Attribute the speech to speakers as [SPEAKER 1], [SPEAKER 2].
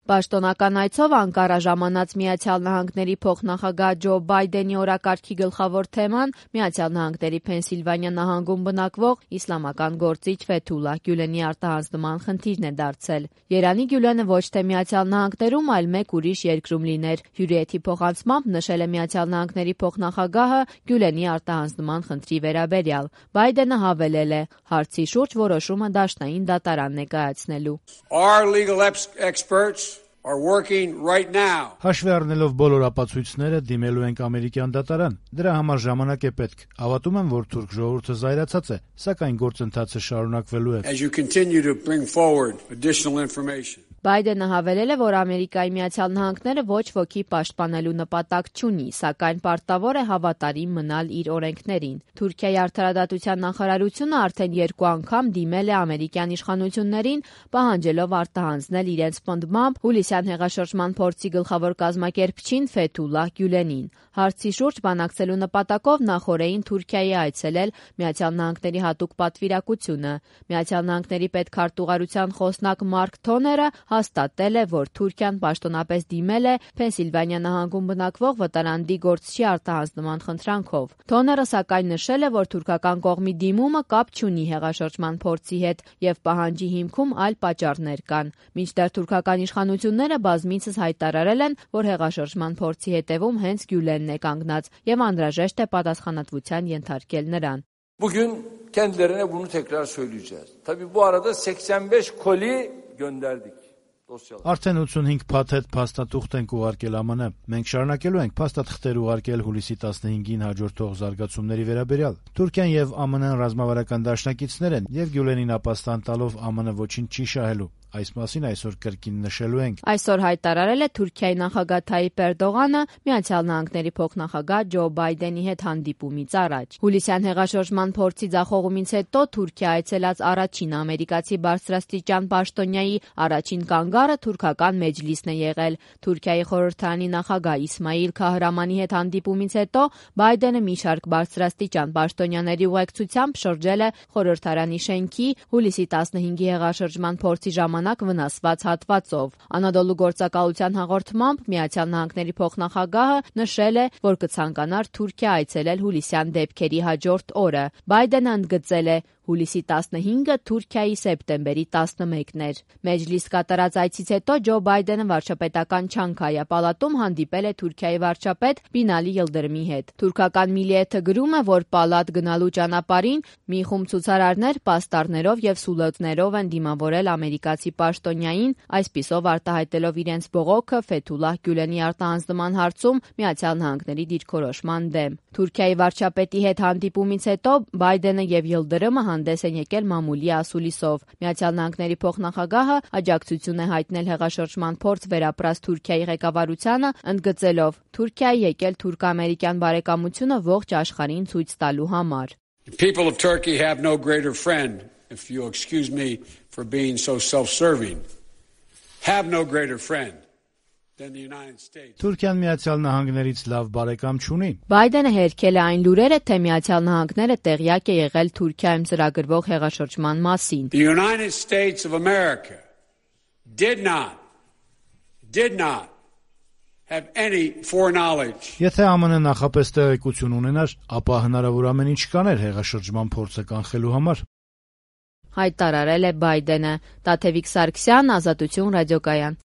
[SPEAKER 1] Պաշտոնական այցով Անկարա ժամանած Միացյալ Նահանգների փոխնախագահ Ջո Բայդենի օրակարգի գլխավոր թեման Միացյալ Նահանգների Փենսիլվանիա նահանգում բնակվող իսլամական գործիչ Ֆեթուլլահ Գյուլենի արտահանձնման խնդիրն է դարձել։ Երանի Գյուլենը ոչ թե Միացյալ Նահանգներում, այլ մեկ ուրիշ երկրում լիներ։ Հյուրիեթի փոխանցմամբ նշել է Միացյալ Նահանգների փոխնախագահը Գյուլենի արտահանձնման խնդրի վերաբերյալ։ Բայդենը հավելել է. հարցի շուրջ որոշումը դաշնային դատարանն է կայացնելու։
[SPEAKER 2] Հաշվի առնելով բոլոր ապացույցները, դիմելու ենք ամերիկյան դատարան։ Դրա համար ժամանակ է պետք։ Հավատում եմ, որ թուրք ժողովուրդը զայրացած է, սակայն գործընթացը շարունակվելու է։
[SPEAKER 1] Բայդենը հավելել է, որ Ամերիկայի Միացյալ Նահանգները ոչ ոքի պաշտպանելու նպատակ չունի, սակայն պարտավոր է հավատարիմ մնալ իր օրենքներին։ Թուրքիայի արդարադատության նախարարությունը արդեն 2 անգամ դիմել է ամերիկյան իշխանություններին, պահանջելով արտահանձնել իրենց պնդմամբ հուլիսյան հեղաշրջման փորձի գլխավոր կազմակերպչին Ֆեթուլլահ Գյուլենին։ Հարցի շուրջ բանակցելու նպատակով նախօրեին Թուրքիայի այցելել Միացյալ Նահանգների հատուկ պատվիրակությունը։ Միացյալ Նահանգների պետքարտուղարության խոսնակ Մարկ Թոները հաստատել է, որ Թուրքիան պաշտոնապես դիմել է Փենսիլվանիա նահանգում բնակվող վտարանդի գործչի արտահանձնման խնդրանքով։ Թոները սակայն նշել է, որ թուրքական կողմի դիմումը կապ չունի հեղաշրջման փորձի հետ եւ պահանջի հիմքում այլ պատճառներ կան։ Մինչդեռ թուրքական իշխանությունները բազմիցս հայտարարել են, որ հեղաշրջման փորձի հետևում հենց Գյուլենն է կանգնած եւ անհրաժեշտ է պատասխանատվության ենթարկել նրան։
[SPEAKER 3] Bugün kendilerine bunu tekrar söyleyeceğiz. Tabii bu arada 85 koli gönderdik.
[SPEAKER 2] Արդեն 85 փաթեթ փաստաթուղթ ենք ուղարկել ԱՄՆ։ Մենք շարունակելու ենք փաստաթղթեր ուղարկել հուլիսի 15-ին հաջորդող զարգացումների վերաբերյալ։ Թուրքիան եւ ԱՄՆ-ն ռազմավարական դաշնակիցներ են եւ Գյուլենին ապաստան տալով ԱՄՆ ոչինչ չի շահելու։ Այս մասին այսօր կրկին նշելու ենք։
[SPEAKER 1] Այսօր հայտարարել է Թուրքիայի նախագահ Թայիպ Էրդողանը Միացյալ Նահանգների փոխնախագահ Ջո Բայդենի հետ հանդիպումից առաջ։ Հուլիսյան հեղաշրջման փորձի ձախողումից հետո Թուրքիա այցելած առաջին ամերիկացի բարձրաստիճան պաշտոնյայի առաջին կանգառը թուրքական մեջլիսն է եղել։ Թուրքիայի խորհրդարանի նախագահ Իսմայիլ Քահրամանի հետ հանդիպումից հետո Բայդենը մի շարք բարձրաստիճան պաշտոնյաների ուղեկցությամբ շրջել է խորհրդարանի շենքի հուլիսի 15-ի հեղաշրջման փորձի ժամանակ վնասված հատվածով։ Անադոլու գործակալության հաղորդմամբ Միացյալ Նահանգների փոխնախագահը նշել է, որ կցանկանար Թուրքիա այցելել հուլիսյան դեպքերի հաջորդ օրը։ Բայդենը ընդգծել է. հուլիսի 15-ը Թուրքիայի սեպտեմբերի 11-ն էր։ Մեջլիս կատարած այցից հետո Ջո Բայդենը վարչապետական Չանքայա պալատում հանդիպել է Թուրքիայի վարչապետ Բինալի Յիլդրիմի հետ։ Թուրքական Միլիեթը գրում է, որ պալատ գնալու ճանապարհին մի խումբ ցուցարարներ պաստառներով եւ սուլոտներով են դիմավորել ամերիկացի պաշտոնյային, այսպիսով արտահայտելով իրենց բողոքը Ֆեթուլլահ Գյուլենի արտահանձնման հարցում Միացյալ Նահանգների դիրքորոշման դեմ։ Թուրքիայի վարչապետի հետ հանդիպումից հետո Բայդենը եւ Յիլդրիմը հանդես են եկել մամուլի ասուլիսով։ Միացյալ Նահանգների փոխնախագահը աջակցություն է հայտնել հեղաշրջման փորձ վերապրած Թուրքիայի ղեկավարությանը, ընդգծելով. Թուրքիայի եկել թուրք-ամերիկյան բարեկամությունը ողջ աշխարհին ցույց տալու համար։
[SPEAKER 4] People of Turkey have no greater friend, if you excuse me for being so self-serving, have no greater friend.
[SPEAKER 2] Թուրքիան Միացյալ Նահանգներից լավ բարեկամ չունի։
[SPEAKER 1] Բայդենը հերքել է այն լուրերը, թե Միացյալ Նահանգները տեղյակ է եղել Թուրքիայում ծրագրվող հեղաշրջման մասին։
[SPEAKER 4] The United States of America did not have any foreknowledge.
[SPEAKER 2] Եթե ԱՄՆ նախապես տեղեկություն ունենար, ապա հնարավոր ամեն ինչ կաներ հեղաշրջման փորձը կանխելու համար։
[SPEAKER 1] Հայտարարել է Բայդենը։ Տաթևիկ Սարգսյան, Ազատություն ռադիոկայան։